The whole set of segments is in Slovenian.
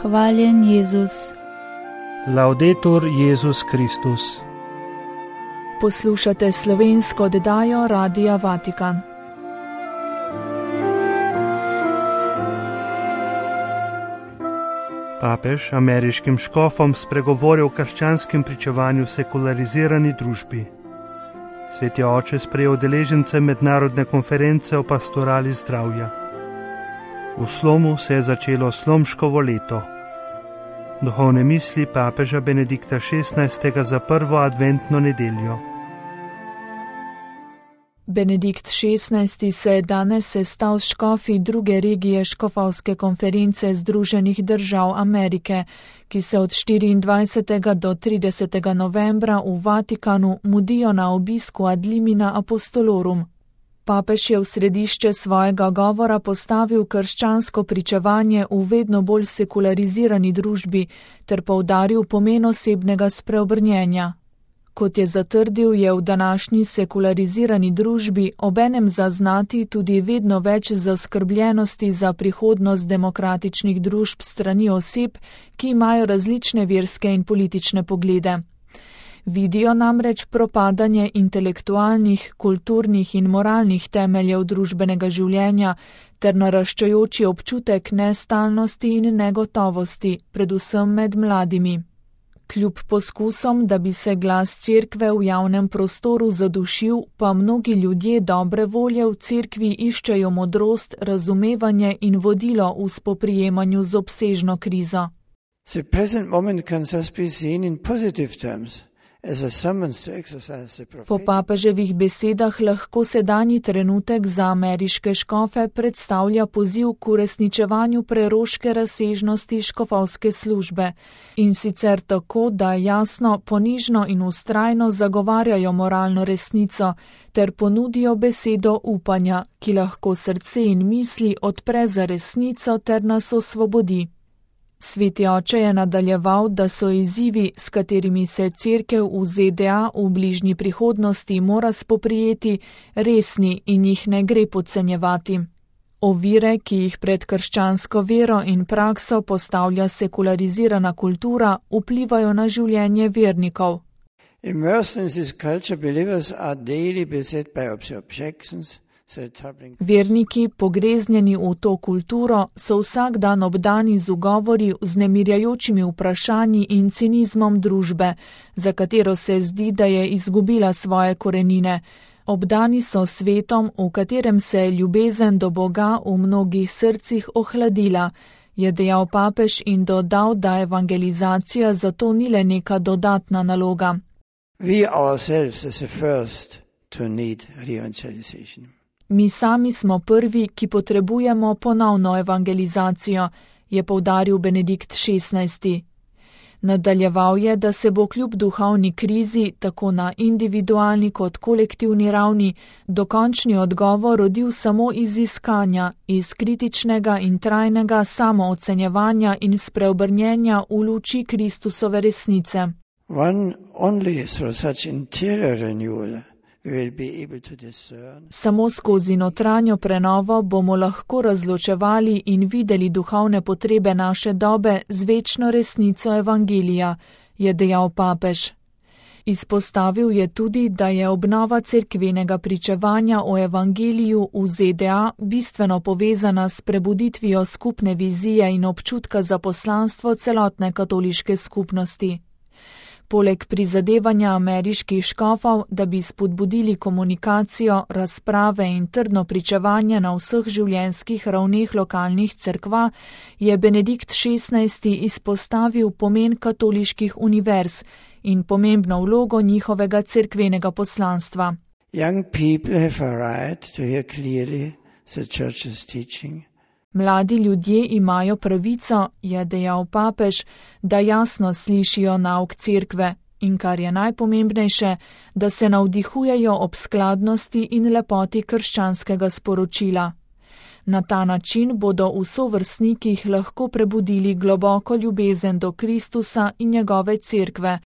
Hvaljen Jezus. Laudetur Jezus Kristus. Poslušate slovensko oddajo Radia Vatikan. Papež ameriškim škofom spregovori o krščanskem pričevanju sekularizirani družbi. Sveti oče sprejel udeležence mednarodne konference o pastorali zdravja. V Slomu se je začelo Slomškovo leto. Duhovne misli papeža Benedikta XVI. Za prvo adventno nedeljo. Benedikt XVI. Se je danes sestal s škofi druge regije škofovske konference Združenih držav Amerike, ki se od 24. do 30. novembra v Vatikanu mudijo na obisku ad limina apostolorum. Papež je v središče svojega govora postavil krščansko pričevanje v vedno bolj sekularizirani družbi ter poudaril pomen osebnega spreobrnjenja. Kot je zatrdil, je v današnji sekularizirani družbi obenem zaznati tudi vedno več zaskrbljenosti za prihodnost demokratičnih družb strani oseb, ki imajo različne verske in politične poglede. Vidijo namreč propadanje intelektualnih, kulturnih in moralnih temeljev družbenega življenja ter naraščajoči občutek nestalnosti in negotovosti, predvsem med mladimi. Kljub poskusom, da bi se glas cerkve v javnem prostoru zadušil, pa mnogi ljudje dobre volje v cerkvi iščejo modrost, razumevanje in vodilo v spoprijemanju z obsežno krizo. The present moment can thus be seen in positive terms. Po papeževih besedah lahko sedanji trenutek za ameriške škofe predstavlja poziv k uresničevanju preroške razsežnosti škofovske službe, in sicer tako, da jasno, ponižno in vztrajno zagovarjajo moralno resnico ter ponudijo besedo upanja, ki lahko srce in misli odpre za resnico ter nas osvobodi. Sveti oče je nadaljeval, da so izzivi, s katerimi se cerkev v ZDA v bližnji prihodnosti mora spoprijeti, resni in jih ne gre podcenjevati. Ovire, ki jih pred krščansko vero in prakso postavlja sekularizirana kultura, vplivajo na življenje vernikov. Immersed in this culture, believers are daily beset by objections. Verniki, pogreznjeni v to kulturo, so vsak dan obdani z ugovori, vznemirjajočimi vprašanji in cinizmom družbe, za katero se zdi, da je izgubila svoje korenine. Obdani so svetom, v katerem se je ljubezen do Boga v mnogih srcih ohladila, je dejal papež in dodal, da evangelizacija zato ni le neka dodatna naloga. We ourselves as the first to need re-evangelization. Mi sami smo prvi, ki potrebujemo ponovno evangelizacijo, je poudaril Benedikt XVI. Nadaljeval je, da se bo kljub duhovni krizi, tako na individualni kot kolektivni ravni, dokončni odgovor rodil samo iz iskanja, iz kritičnega in trajnega samoocenjevanja in spreobrnjenja v luči Kristusove resnice. Only through such interior renewal Samo skozi notranjo prenovo bomo lahko razločevali in videli duhovne potrebe naše dobe z večno resnico evangelija, je dejal papež. Izpostavil je tudi, da je obnova cerkvenega pričevanja o evangeliju v ZDA bistveno povezana s prebuditvijo skupne vizije in občutka za poslanstvo celotne katoliške skupnosti. Poleg prizadevanja ameriških škofov, da bi spodbudili komunikacijo, razprave in trdno pričevanje na vseh življenjskih ravneh lokalnih cerkva, je Benedikt XVI. Izpostavil pomen katoliških univerz in pomembno vlogo njihovega cerkvenega poslanstva. Young people have a right to hear clearly the church's teaching. Mladi ljudje imajo pravico, je dejal papež, da jasno slišijo nauk cerkve in, kar je najpomembnejše, da se navdihujejo ob skladnosti in lepoti krščanskega sporočila. Na ta način bodo v sovrstnikih lahko prebudili globoko ljubezen do Kristusa in njegove cerkve.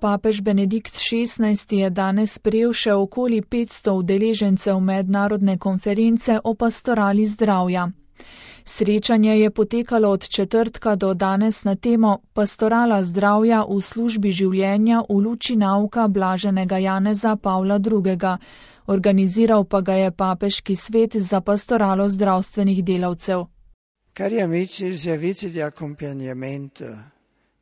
Papež Benedikt XVI je danes sprejel še okoli 500 udeležencev mednarodne konference o pastorali zdravja. Srečanje je potekalo od četrtka do danes na temo Pastorala zdravja v službi življenja v luči nauka blaženega Janeza Pavla II. Organiziral pa ga je Papeški svet za pastoralo zdravstvenih delavcev. Cari amici, il servizio di accompagnamento,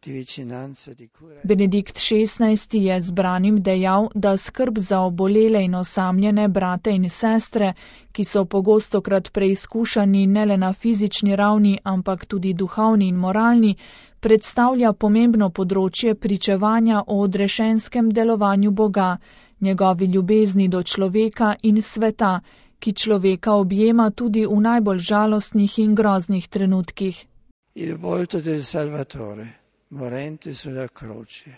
di vicinanza, di cura. Benedikt XVI je zbranim dejal, da skrb za obolele in osamljene brate in sestre, ki so pogostokrat preizkušani ne le na fizični ravni, ampak tudi duhovni in moralni, predstavlja pomembno področje pričevanja o odrešenskem delovanju Boga, njegovi ljubezni do človeka in sveta, ki človeka objema tudi v najbolj žalostnih in groznih trenutkih. Il volto del Salvatore, morente sulla croce.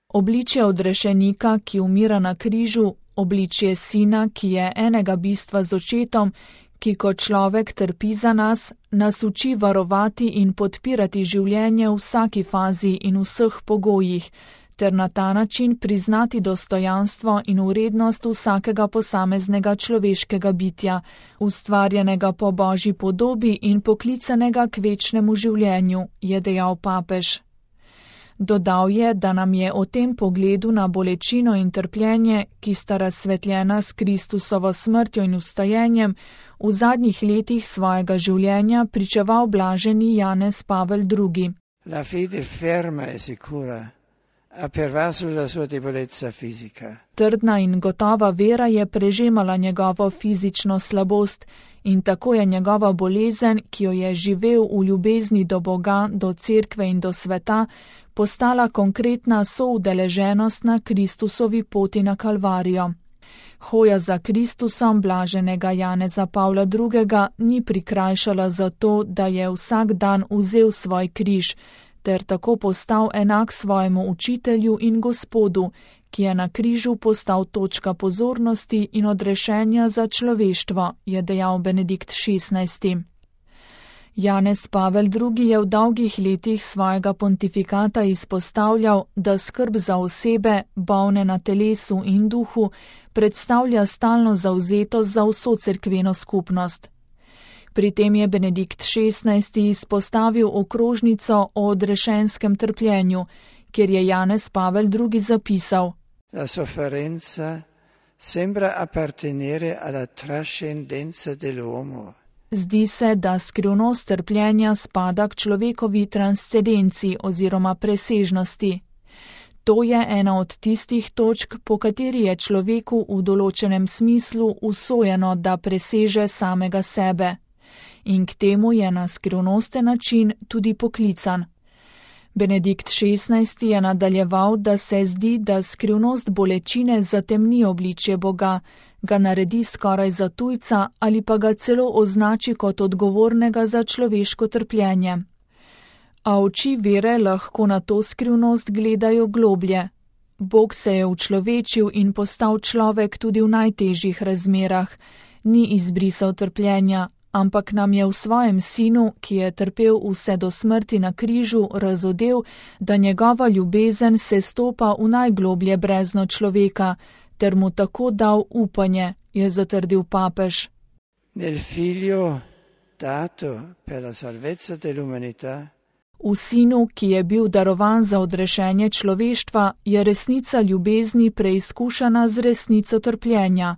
Obličje odrešenika, ki umira na križu, obličje sina, ki je enega bistva z očetom, ki kot človek trpi za nas, nas uči varovati in podpirati življenje v vsaki fazi in vseh pogojih, ter na ta način priznati dostojanstvo in vrednost vsakega posameznega človeškega bitja, ustvarjenega po Božji podobi in poklicanega k večnemu življenju, je dejal papež. Dodal je, da nam je o tem pogledu na bolečino in trpljenje, ki sta razsvetljena s Kristusovo smrtjo in vstajenjem, v zadnjih letih svojega življenja pričeval blaženi Janez Pavel II. La fede ferma e sicura ha pervaso la sua debolezza fisica. Trdna in gotova vera je prežemala njegovo fizično slabost in tako je njegova bolezen, ki jo je živel v ljubezni do Boga, do cerkve in do sveta, postala konkretna soudeleženost na Kristusovi poti na Kalvarijo. Hoja za Kristusom blaženega Janeza Pavla II. Ni prikrajšala zato, da je vsak dan vzel svoj križ, ter tako postal enak svojemu učitelju in Gospodu, ki je na križu postal točka pozornosti in odrešenja za človeštvo, je dejal Benedikt XVI. Janez Pavel II. Je v dolgih letih svojega pontifikata izpostavljal, da skrb za osebe, bolne na telesu in duhu, predstavlja stalno zavzetost za vso cerkveno skupnost. Pri tem je Benedikt XVI. Izpostavil okrožnico o odrešenskem trpljenju, kjer je Janez Pavel II. Zapisal: La sofferenza sembra appartenere alla trascendenza dell'uomo. Zdi se, da skrivnost trpljenja spada k človekovi transcendenci oziroma presežnosti. To je ena od tistih točk, po kateri je človeku v določenem smislu usojeno, da preseže samega sebe. In k temu je na skrivnosten način tudi poklican. Benedikt XVI. Je nadaljeval, da se zdi, da skrivnost bolečine zatemni obličje Boga, ga naredi skoraj za tujca ali pa ga celo označi kot odgovornega za človeško trpljenje. A oči vere lahko na to skrivnost gledajo globlje. Bog se je učlovečil in postal človek tudi v najtežjih razmerah, ni izbrisal trpljenja, ampak nam je v svojem sinu, ki je trpel vse do smrti na križu, razodel, da njegova ljubezen se stopa v najgloblje brezno človeka, ter mu tako dal upanje, je zatrdil papež. Nel figlio dato per la salvezza dell'umanità. V sinu, ki je bil darovan za odrešenje človeštva, je resnica ljubezni preizkušana z resnico trpljenja.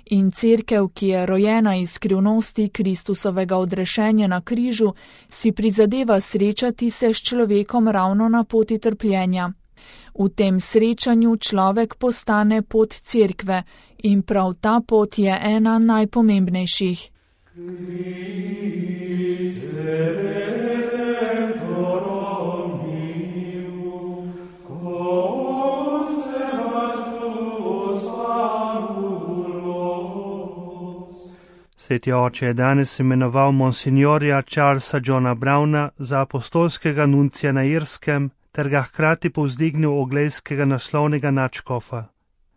In cerkev, ki je rojena iz skrivnosti Kristusovega odrešenja na križu, si prizadeva srečati se s človekom ravno na poti trpljenja. V tem srečanju človek postane pot cerkve in prav ta pot je ena najpomembnejših. Sveti oče je danes imenoval monsignorja Charlesa Johna Browna za apostolskega nuncija na Irskem ter ga hkrati povzdignil oglejskega naslovnega nadškofa.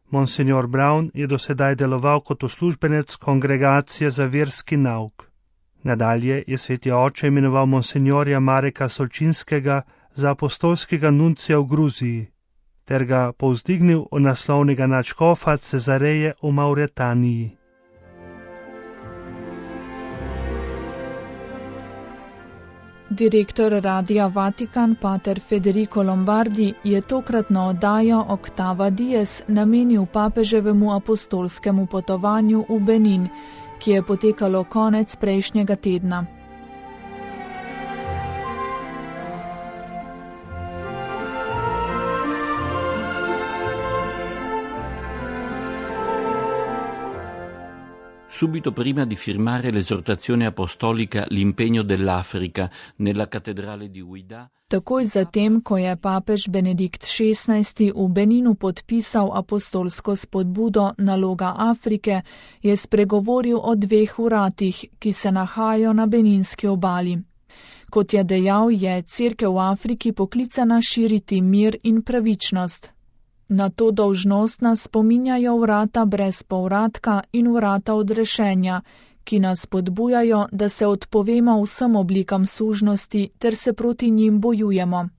Monsignor Brown je dosedaj deloval kot uslužbenec Kongregacije za verski nauk. Nadalje je sveti oče imenoval monsignorja Mareka Solčinskega za apostolskega nuncija v Gruziji. ter ga povzdignil v naslovnega nadškofa Cezareje v Mauretaniji. Direktor Radia Vatikan, pater Federico Lombardi, je tokratno oddajo Octava Dies namenil papeževemu apostolskemu potovanju v Benin, ki je potekalo konec prejšnjega tedna. Subito prima di firmare l'esortazione apostolica L'impegno dell'Africa nella cattedrale di Ouidah. Takoj zatem, ko je papež Benedikt XVI v Beninu podpisal apostolsko spodbudo Naloga Afrike, je spregovoril o 2 uradih, ki se nahajajo na beninski obali. Kot je dejal, je Cerkev v Afriki poklicana širiti mir in pravičnost. Na to dolžnost nas spominjajo vrata brez povratka in vrata odrešenja, ki nas spodbujajo, da se odpovemo vsem oblikam sužnosti ter se proti njim bojujemo.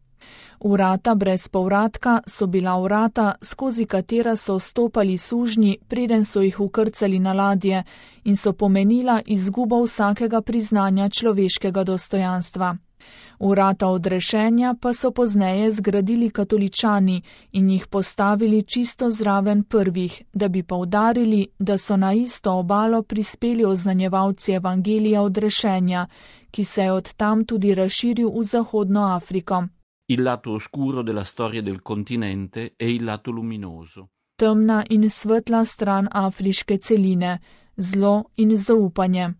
Vrata brez povratka so bila vrata, skozi katera so stopali sužnji, preden so jih ukrcali na ladje, in so pomenila izgubo vsakega priznanja človeškega dostojanstva. Vrata odrešenja pa so pozneje zgradili katoličani in jih postavili čisto zraven prvih, da bi poudarili, da so na isto obalo prispeli oznanjevalci evangelija odrešenja, ki se je od tam tudi razširil v Zahodno Afriko. Il lato oscuro della storia del continente e il lato luminoso. Temna in svetla stran afriške celine, zlo in zaupanje.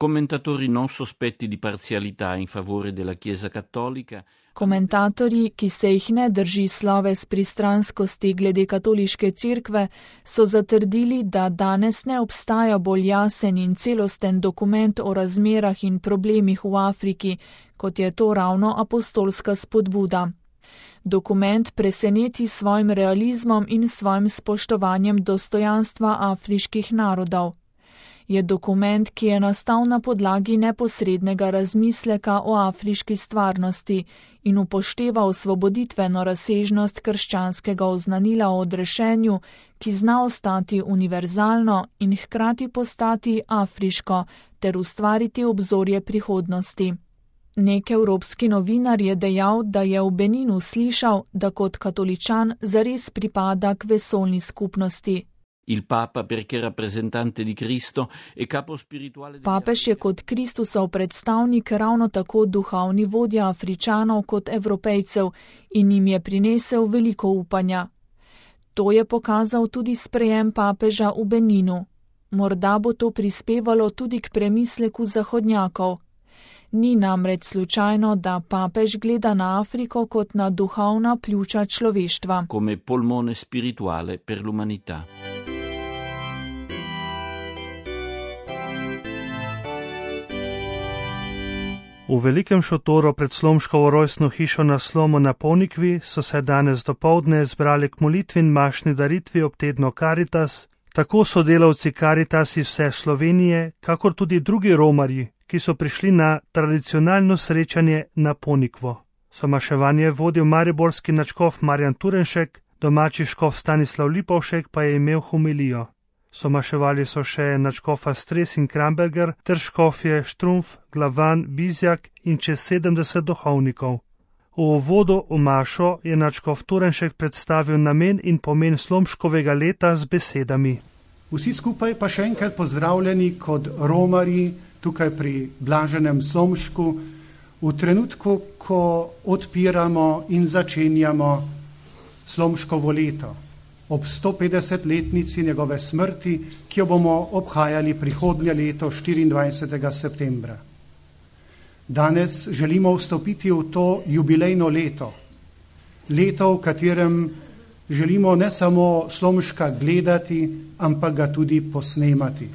Commentatori non sospetti di parzialità in favore della Chiesa cattolica. Komentatorji, ki se jih ne drži sloves pristranskosti glede katoliške cerkve, so zatrdili, da danes ne obstaja bolj jasen in celosten dokument o razmerah in problemih v Afriki, kot je to ravno apostolska spodbuda. Dokument preseneti s svojim realizmom in svojim spoštovanjem dostojanstva afriških narodov. Je dokument, ki je nastal na podlagi neposrednega razmisleka o afriški stvarnosti in upošteva osvoboditveno razsežnost krščanskega oznanila o odrešenju, ki zna ostati univerzalno in hkrati postati afriško ter ustvariti obzorje prihodnosti. Nek evropski novinar je dejal, da je v Beninu slišal, da kot katoličan zares pripada k vesoljni skupnosti. Il Papa, perché rappresentante di Cristo e capo spirituale degli Papež je kot Kristusov predstavnik ravno tako duhovni vodja Afričanov kot Evropejcev in jim je prinesel veliko upanja. To je pokazal tudi sprejem papeža v Beninu. Morda bo to prispevalo tudi k premisleku zahodnjakov. Ni namreč slučajno, da papež gleda na Afriko kot na duhovna pljuča človeštva. Come polmone spirituale per l'umanità. V velikem šotoru pred Slomškovo rojstno hišo na Slomu na Ponikvi so se danes dopoldne zbrali k molitvi in mašni daritvi ob tednu Caritas, tako sodelavci Caritas iz vse Slovenije, kakor tudi drugi romarji, ki so prišli na tradicionalno srečanje na Ponikvo. Somaševanje vodil mariborski nadškof Marjan Turenšek, domači škof Stanislav Lipovšek pa je imel homilijo. Somaševali so še nadškofa Stres in Kramberger ter škofje Štrumf, Glavan, Bizjak in čez 70 duhovnikov. V uvodu v mašo je nadškof Turenšek predstavil namen in pomen Slomškovega leta z besedami. Vsi skupaj pa še enkrat pozdravljeni kot romarji tukaj pri blaženem Slomšku v trenutku, ko odpiramo in začenjamo Slomškovo leto. Ob 150-letnici njegove smrti, ki jo bomo obhajali prihodnje leto 24. septembra. Danes želimo vstopiti v to jubilejno leto. Leto, v katerem želimo ne samo Slomška gledati, ampak ga tudi posnemati.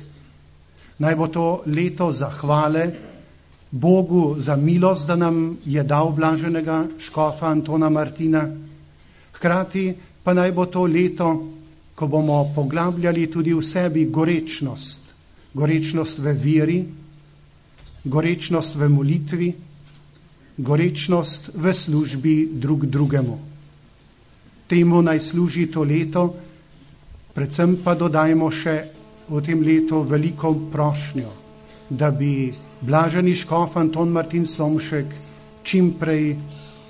Naj bo to leto zahvale Bogu za milost, da nam je dal blaženega škofa Antona Martina. Hkrati pa naj bo to leto, ko bomo poglabljali tudi v sebi gorečnost. Gorečnost v veri, gorečnost v molitvi, gorečnost v službi drug drugemu. temu naj služi to leto, predvsem pa dodajmo še v tem letu veliko prošnjo, da bi blaženi škof Anton Martin Slomšek čim prej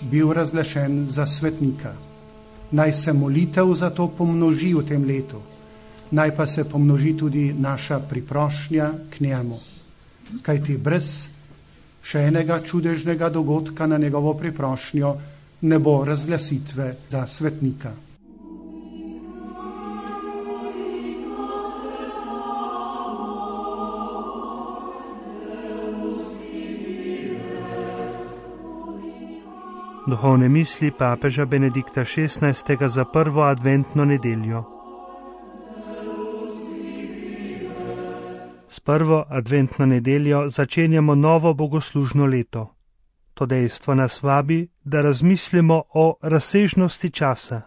bil razglašen za svetnika. Naj se molitev za to pomnoži v tem letu, naj pa se pomnoži tudi naša priprošnja k njemu. Kajti brez še enega čudežnega dogodka na njegovo priprošnjo ne bo razglasitve za svetnika. Duhovne misli papeža Benedikta XVI. Za prvo adventno nedeljo. S prvo adventno nedeljo začenjamo novo bogoslužno leto. To dejstvo nas vabi, da razmislimo o razsežnosti časa,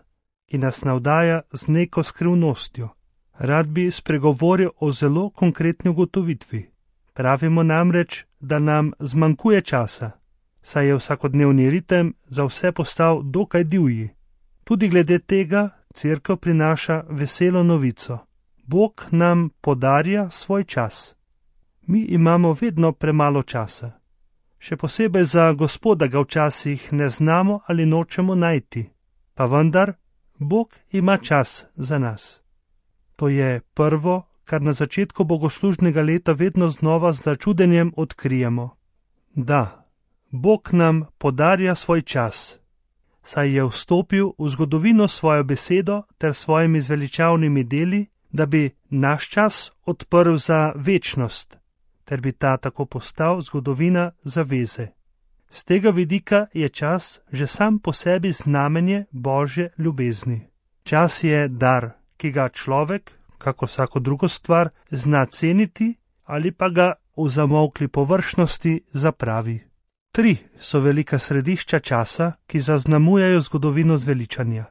ki nas navdaja z neko skrivnostjo. Rad bi spregovoril o zelo konkretni ugotovitvi. Pravimo namreč, da nam zmanjkuje časa, saj je vsakodnevni ritem za vse postal dokaj divji. Tudi glede tega Cerkev prinaša veselo novico. Bog nam podarja svoj čas. Mi imamo vedno premalo časa. Še posebej za Gospoda ga včasih ne znamo ali nočemo najti. Pa vendar, Bog ima čas za nas. To je prvo, kar na začetku bogoslužnega leta vedno znova z začudenjem odkrijemo. Da, Bog nam podarja svoj čas, saj je vstopil v zgodovino svojo besedo ter svojimi zveličavnimi deli, da bi naš čas odprl za večnost, ter bi ta tako postal zgodovina zaveze. Z tega vidika je čas že sam po sebi znamenje Božje ljubezni. Čas je dar, ki ga človek, kako vsako drugo stvar, zna ceniti ali pa ga v zamolkli površnosti zapravi. 3 so velika središča časa, ki zaznamujejo zgodovino zveličanja.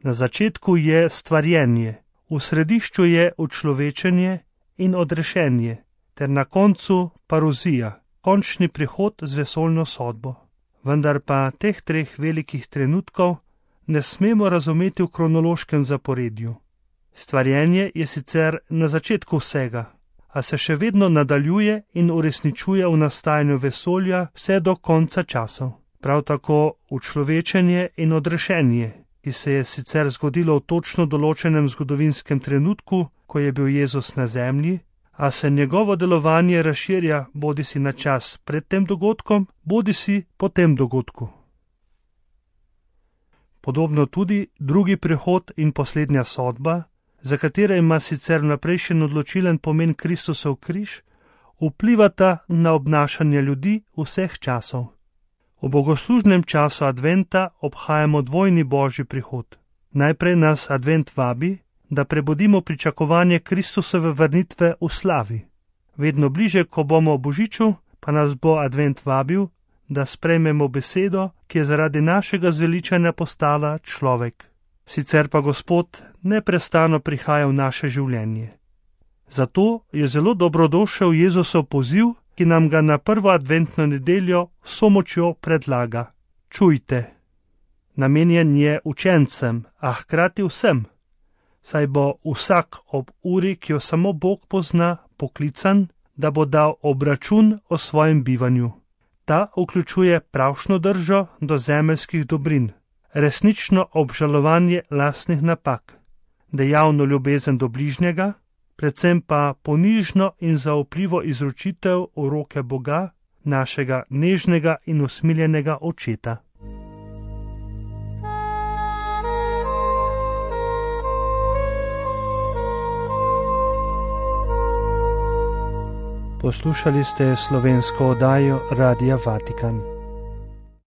Na začetku je stvarjenje, v središču je učlovečenje in odrešenje, ter na koncu paruzija, končni prihod z vesoljno sodbo. Vendar pa teh 3 velikih trenutkov ne smemo razumeti v kronološkem zaporedju. Stvarjenje je sicer na začetku vsega, a se še vedno nadaljuje in uresničuje v nastajanju vesolja vse do konca časov. Prav tako učlovečenje in odrešenje, ki se je sicer zgodilo v točno določenem zgodovinskem trenutku, ko je bil Jezus na zemlji, a se njegovo delovanje razširja bodisi na čas pred tem dogodkom, bodisi po tem dogodku. Podobno tudi drugi prihod in poslednja sodba, za katere ima sicer vnaprejšen odločilen pomen Kristusov križ, vplivata na obnašanje ljudi vseh časov. V bogoslužnem času adventa obhajamo dvojni božji prihod. Najprej nas advent vabi, da prebudimo pričakovanje Kristusove vrnitve v slavi. Vedno bliže, ko bomo v božiču, pa nas bo advent vabil, da sprejmemo besedo, ki je zaradi našega zveličanja postala človek. Sicer pa Gospod neprestano prihaja v naše življenje. Zato je zelo dobrodošel Jezusov poziv, ki nam ga na prvo adventno nedeljo vso močjo predlaga. Čujte. Namenjen je učencem, a hkrati vsem, saj bo vsak ob uri, ki jo samo Bog pozna, poklican, da bo dal obračun o svojem bivanju. Ta vključuje pravšno držo do zemeljskih dobrin, resnično obžalovanje lastnih napak, dejavno ljubezen do bližnjega, predvsem pa ponižno in zaupljivo izročitev v roke Boga, našega nežnega in usmiljenega očeta. Poslušali ste slovensko oddajo Radia Vatikan.